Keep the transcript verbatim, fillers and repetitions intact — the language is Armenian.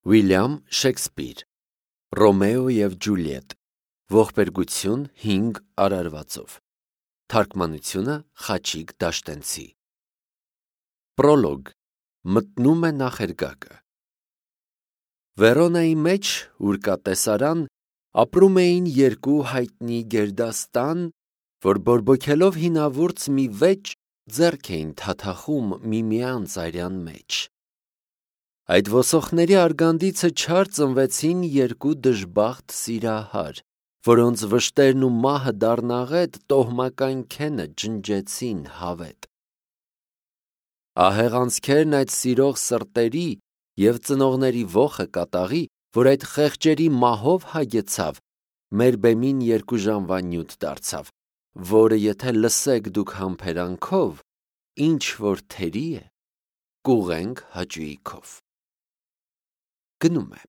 Ուիլյամ Շեքսպիր Ռոմեո և Ջուլիետ Ողբերգություն հինգ արարվածով Թարգմանությունը Խաչիկ Դաշտենցի Պրոլոգ Մտնում է նախերգակը Վերոնայի մեջ, ուր կա տեսարան, ապրում էին երկու հայտնի գերդաստան, որ բորբոքելով հինավուրց մի վեճ ձեռք էին թաթախում միմյանց արյան մեջ։ Այդ ոսոխների արգանդիցը չար ծնվեցին երկու դժբախտ սիրահար, որոնց վշտերն ու մահը դառնաղետ տոհմական քենը ջնջեցին հավետ։ Ահեղ անցքերն այդ սիրող սրտերի և ծնողների ոխը կատաղի, որ այդ խեղճերի մահով հագեցավ, մեր բեմին երկու ժամվա նյութ դարձավ, որը եթե լսեք դուք համբերանքով, ինչ որ թերի է, կուղենք հաճույքով։ Գնում է։